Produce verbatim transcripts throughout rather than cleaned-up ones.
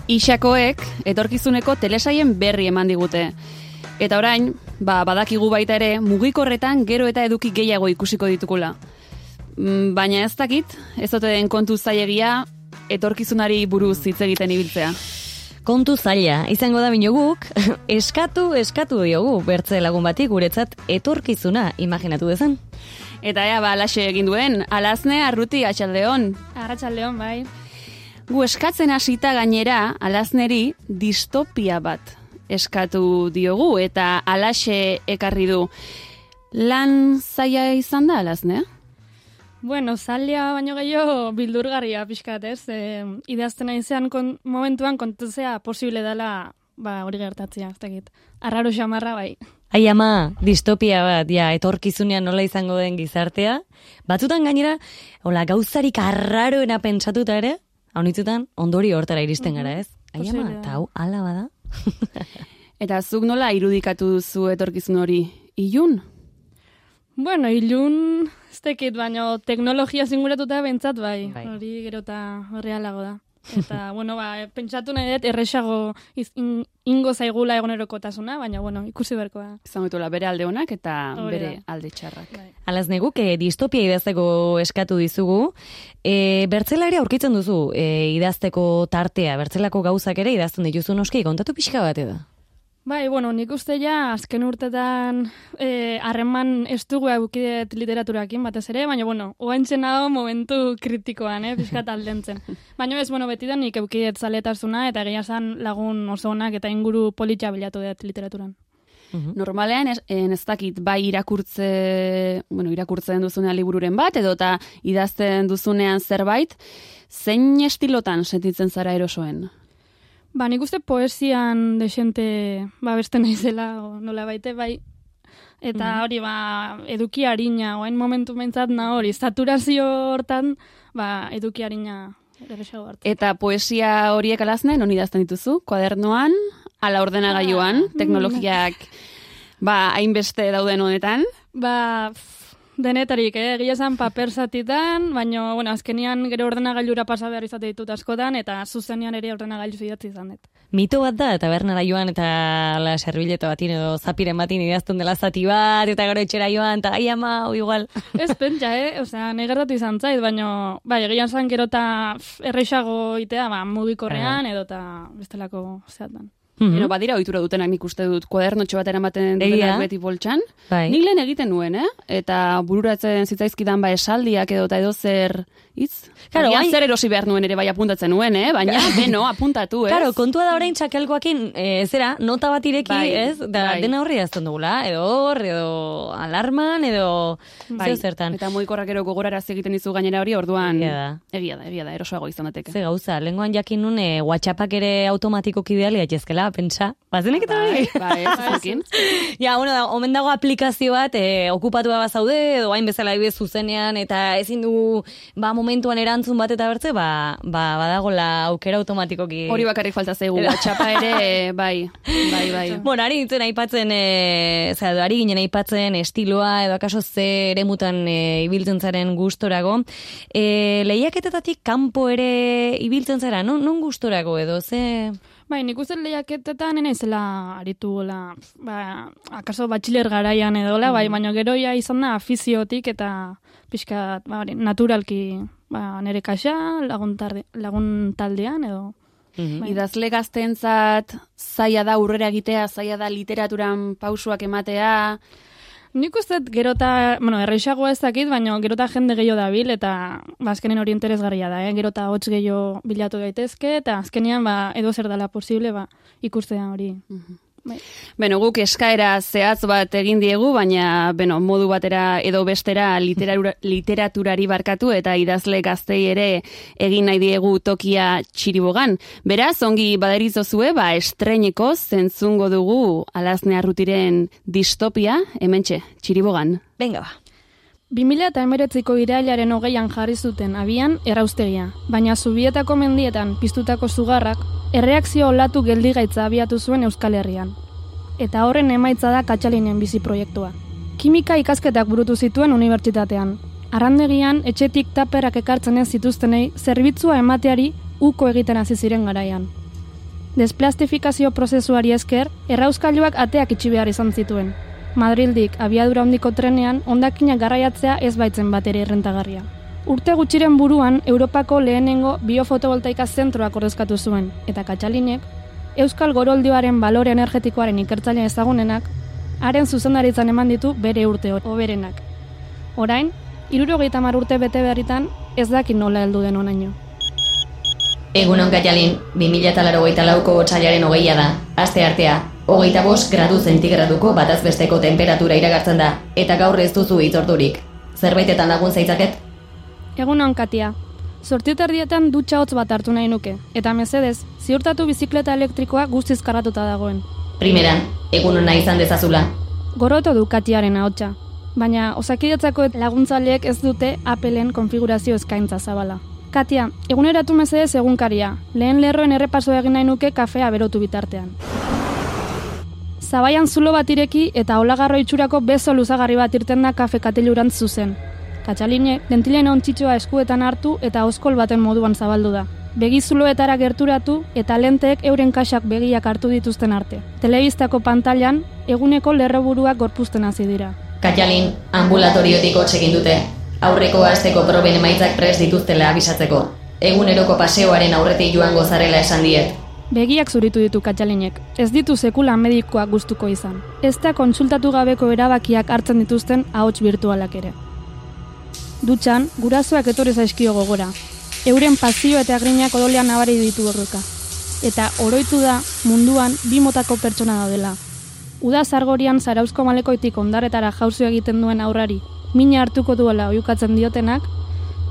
Ixakoek etorkizuneko telesaien berri eman digute. Eta orain, ba, badakigu baita ere, mugikorretan gero eta eduki gehiago ikusiko ditukula. Baina ez dakit, ez ote den kontu zailegia etorkizunari buruz hitz egiten ibiltzea. Kontu zaila, izango da bino guk, eskatu, eskatu diogu, bertze lagun batik guretzat etorkizuna imaginatu dezan. Eta ea, ba, alaxe egin duen, Alazne Arruti, atxaldeon. Arratsaldeon, bai. Gu eskatzen hasita gainera, Alazneri distopia bat eskatu diogu, eta alaxe ekarri du. Lan zaila izan da, Alazne? Bueno, zaila baino gehiago bildurgarria pixkat, ez? E, idazten aizean kon, momentuan kontuzea posible dela ba, hori gertatzea, ez dakit. Arraro xamarra, bai. Ai ama, distopia bat, ja, etorkizunean nola izango den gizartea. Batzutan gainera, hola, gauzarik arraroena pentsatuta ere, haunitzutan, ondori hortara iristen gara, ez? Ai ama, eta hau, ala bada. Eta zuk nola irudikatu duzu etorkizun hori? Ilun? Bueno, ilun, ez tekit, baina teknologia zinguratuta bentsat bai. bai. Hori gero eta horrealago da. Eta, bueno, ba, pentsatu nahi dut erresago iz, in, ingo zaigula egonerokotasuna, baina, bueno, ikusi berko da. Izan dutela bere alde honak eta Hore bere da. alde txarrak. Bai. Alaz neguk, e, distopia idazteko eskatu dizugu. E, bertzelaria aurkitzen duzu e, idazteko tartea, bertzelako gauzak ere idazten dituzu noski, kontatu pixka bat edo? Bai, bueno, nik uste ja, azken urtetan harreman eh, estugu eukidet literaturakin batez ere, baina, bueno, oaintzen hau momentu kritikoan, eh, pixkat aldentzen. Baina ez, bueno, beti da nik eukidet zaletasuna, eta egia zan lagun oso onak eta inguru politxa bilatu dut literaturan. Normalean ez, ez dakit bai irakurtze, bueno, irakurtzen duzunean libururen bat, edo eta idazten duzunean zerbait, zein estilotan sentitzen zara erosoen? Ba, nik uste poesian desente ba, beste naizela, o nola baite, bai. Eta hori, ba, eduki harina, oain momentu mentzat na hori, saturazio hortan, ba, eduki harina erresago hartu. Eta poesia horiek Alazne, non idazten dituzu? Kuadernoan, ala ordenagailuan, teknologiak, ba, hainbeste dauden honetan? Ba, denetarik, eh? Egia esan paper zatitan, baina, bueno, azkenian gero ordenagailura pasa behar izate ditut askotan, eta zuzenean ere ordenagailu idatzi izan dut. Mito bat da, eta bernara joan, eta la serbileta batin edo zapiren batin idazten dela zati bat, eta gero etxera joan, eta gai ama, o igual. Ez pentsa, eh? Osea, negertatu izan zait, baina, bai, egia esan gero eta errexago itea, ba, mugikorrean, edo eta bestelako zeatan. Mm-hmm. Ero, badira ohitura dutenak nik uste dut, kuadernotxo bat eramaten dutenak beti boltsan. Bai. Nik lehen egiten nuen, eh? Eta bururatzen zitzaizkidan ba esaldiak edo eta edo zer hitz. Claro, Agian hain... zer erosi behar nuen ere bai apuntatzen nuen, eh? Baina, beno, apuntatu, ez? Claro, kontua da orain txakelkoakin, e, zera, nota bat ireki, bai, ez? Da, bai. dena horri azten dugula, edo hor, edo alarman, edo bai. zeo zertan. Eta mugikorrak ero gogorarazi egiten dizu gainera hori, orduan Egia da. Egia da, egia da, erosoago izan dateke. Ze gauza, lengoan jakin nun, e, WhatsAppak ere automatikoki ideali gaitezkela, pentsa. Bazenek eta Bai, hori? bai, ez zukin. Ja, bueno, da, omen dago aplikazio bat, e, okupatua bazaude, edo hain bezala ibez zuzenean, eta ezin du, ba, momentuan erantzun bat eta bertze, ba, ba, badagola aukera automatikoki. Hori bakarrik falta zaigu, WhatsAppa ere, bai, bai, bai. Bueno, ari nintzen aipatzen, e, zera, ari ginen aipatzen estiloa, edo akaso ze eremutan e, ibiltzen zaren gustorago. E, lehiaketetatik kanpo ere ibiltzen zara, non, non gustorago edo, ze... Bai, nik uste lehiaketetan enezela aritu gola, ba, akaso batxiler garaian edola, bai, baina gero ja izan da afiziotik eta pixka, ba, naturalki, ba, nire kaxa, lagun, tarde, lagun taldean edo. Mm-hmm. Bai. Idazle gazteentzat zaila da aurrera egitea, zaila da literaturan pausuak ematea. Nik uste gero eta, bueno, erreixagoa ez dakit, baina gero eta jende gehiago dabil, eta ba, azkenean hori interesgarria da, eh? Gero eta hotz gehiago bilatu daitezke, eta azkenean ba, edo zer dela posible ba, ikustea hori. Mm-hmm. Bai. Beno, guk eskaera zehatz bat egin diegu, baina, beno, modu batera edo bestera literatura, literaturari barkatu eta idazle gaztei ere egin nahi diegu tokia Txiribogan. Beraz, ongi baderizozue, ba, estreineko zentzungo dugu Alazne Arrutiren distopia, hementxe, Txiribogan. Venga, ba. bi mila hemeretziko irailaren hogeian jarri zuten abian erraustegia, baina Zubietako mendietan piztutako zugarrak erreakzio olatu geldigaitza abiatu zuen Euskal Herrian. Eta horren emaitza da Katxalinen bizi proiektua. Kimika ikasketak burutu zituen unibertsitatean. Arrandegian etxetik taperrak ekartzen ez zituztenei zerbitzua emateari uko egiten hasi ziren garaian. Desplastifikazio prozesuari esker, errauskailuak ateak itxi behar izan zituen. Madrildik abiadura handiko trenean hondakinak garraiatzea ez baitzen batere errentagarria. Urte gutxiren buruan, Europako lehenengo biofotovoltaika zentroak ordezkatu zuen, eta Katxalinek, Euskal Goroldioaren balore energetikoaren ikertzaile ezagunenak, haren zuzendaritzan eman ditu bere urte hoberenak. Orain, hirurogeita hamar urte bete berritan, ez dakit nola heldu den honaino. Egunon Katxalin, bi mila laurogeita lauko otsailaren hogeia da, aste artea, hogeita bost gradu zentigraduko batazbesteko temperatura iragartzen da, eta gaur ez duzu hitzordurik. Zerbaitetan lagun zaitzaket? Egunon Katia, sortioterdietan dutxa hotz bat hartu nahi nuke, eta mesedez, ziurtatu bizikleta elektrikoa guztiz karratuta dagoen. Primeran, egunona izan dezazula. Goroto du Katiaren ahotsa, baina osakidetzako laguntzaileek ez dute Appleen konfigurazio eskaintza zabala. Katia, eguneratu mesedez egunkaria, lehen lerroen errepaso egin nahi nuke kafea berotu bitartean. Zabaian zulo bat ireki eta olagarro itxurako bezo luzagarri bat irten da kafe katilurantz zuzen. Katxalinek dentilen ontsitxoa eskuetan hartu eta oskol baten moduan zabaldu da. Begi zuloetara gerturatu eta lenteek euren kaxak begiak hartu dituzten arte. Telebistako pantailan eguneko lerroburuak gorpuzten hasi dira. Katxalin, ambulatoriotik hotz egin dute. Aurreko asteko proben emaitzak prest dituztela abisatzeko. Eguneroko paseoaren aurretik joango zarela esan diet. Begiak zuritu ditu Katxalinek. Ez ditu sekula medikoak gustuko izan. Ez da kontsultatu gabeko erabakiak hartzen dituzten ahots virtualak ere. Dutxan, gurasoak etorri zaizkio gogora. Euren pasio eta grinak odolean nabari ditu horreka. Eta oroitu da munduan bi motako pertsona daudela. Uda zargorian Zarauzko malekoitik ondarretara jauzi egiten duen aurrari, mina hartuko duela oihukatzen diotenak,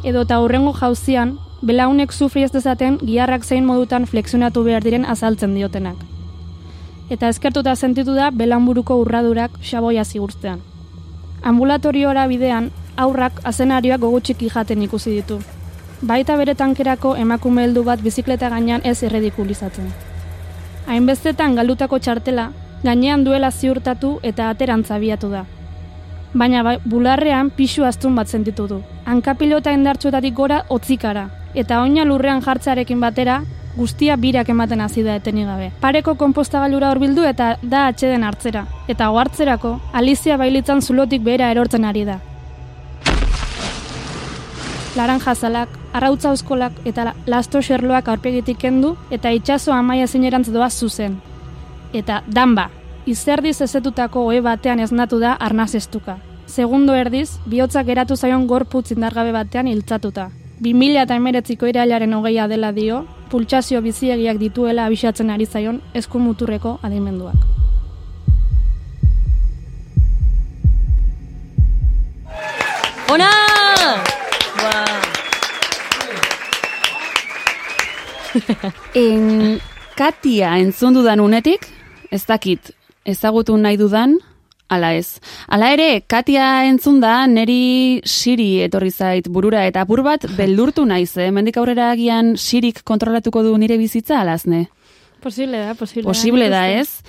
edo eta hurrengo jauzian, belaunek sufri ez dezaten giharrak zein modutan flexionatu behar diren azaltzen diotenak. Eta eskertuta sentitu da belaunburuko urradurak xaboia zigurtzean. Ambulatoriora bidean, aurrak azenarioak gogutxiki jaten ikusi ditu. Baita bere tankerako emakume heldu bat bizikleta gainean ez erredikulizatzen. Hainbestetan galdutako txartela, gainean duela ziurtatu eta aterantza abiatu da. Baina ba, bularrean pixu astun bat sentitu du. Hankapilota indartsuetatik gora hotzikara, eta oina lurrean jartzearekin batera, guztia birak ematen hasi da etenik gabe. Pareko konpostagailura hurbildu eta da atxeden hartzera, eta ohartzerako Alizia bailitzan zulotik behera erortzen ari da. Laranjazalak, arrautza euskolak eta lasto xerloak aurpegitik kendu eta itsaso amaia zinerantz doa zuzen. Eta danba, izerdiz ezetutako ohe batean esnatu da arnazestuka. Segundo erdiz, bihotzak geratu zaion gorputz indargabe batean hiltzatuta. bi mila hemeretziko irailaren hogeia dela dio, pultsazio biziegiak dituela abisatzen ari zaion eskumuturreko adimenduak. Ona! En, Katia entzun dudan unetik, ez dakit, ezagutu nahi dudan, ala ez. Ala ere, Katia entzun da, neri Siri etorri zait burura, eta apur bat beldurtu naiz, eh? Mendik aurrera agian Sirik kontrolatuko du nire bizitza, alazne? Posible da, posible, posible da, ez?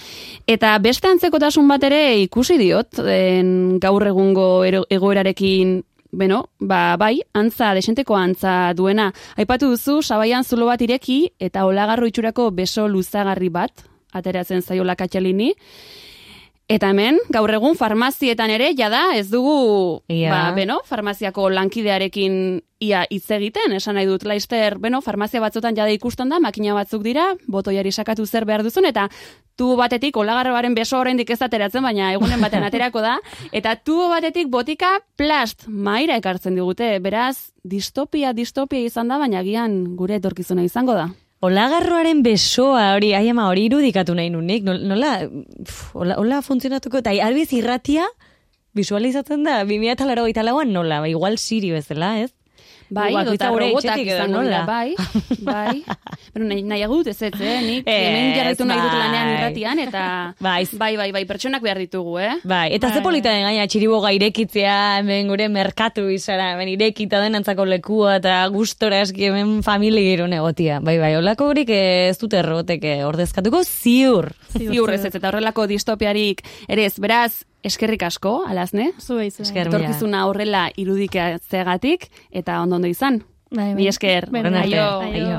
Eta beste antzekotasun bat ere ikusi diot, en, gaur egungo egoerarekin. Beno, ba, bai, antza, desenteko antza duena. Aipatu duzu, sabaian zulo bat ireki eta olagarro itxurako beso luzagarri bat, ateratzen zaiola Katxalini. Eta hemen, gaur egun farmazietan ere, jada, ez dugu, yeah. ba, beno, farmaziako lankidearekin ia hitz egiten, esan nahi dut, laister, beno, farmazia batzutan jada ikusten da, makina batzuk dira, botoiari sakatu zer behar duzun, eta tubo batetik olagarroaren beso oraindik ez ateratzen, baina egunen batean aterako da, eta tubo batetik botika plast maira ekartzen digute, beraz, distopia, distopia izan da, baina agian gure etorkizuna izango da. Olagarroaren besoa, hori, ai ama, hori irudikatu nahi nunik, nola, hola, hola funtzionatuko, eta albiz irratia visualizatzen da, bi mila laurogeita lauan nola, ba, igual Siri bezala, ez? Bai, dota robotak izango da, bai, bai. Pero nahi, nahi agut ez ez, eh? Nik hemen jarretu nahi dut lanean irratian, eta bai, bai, bai, bai, pertsonak behar ditugu, eh? Bai, eta bai. Ze polita den gaina txiriboga irekitzea, hemen gure merkatu izara, hemen irekita den antzako lekua, eta gustora eski hemen familia gero negotia. Bai, bai, holako horik ez dute errotek ordezkatuko ziur. Ziur ez ez, eta horrelako distopiarik ere ez, beraz, eskerrik asko, alazne? Zuei, zuei. Etorkizuna horrela irudikatzeagatik, eta ondo ondo izan. Bai, bai. Mi esker. Bueno, aio. Aio.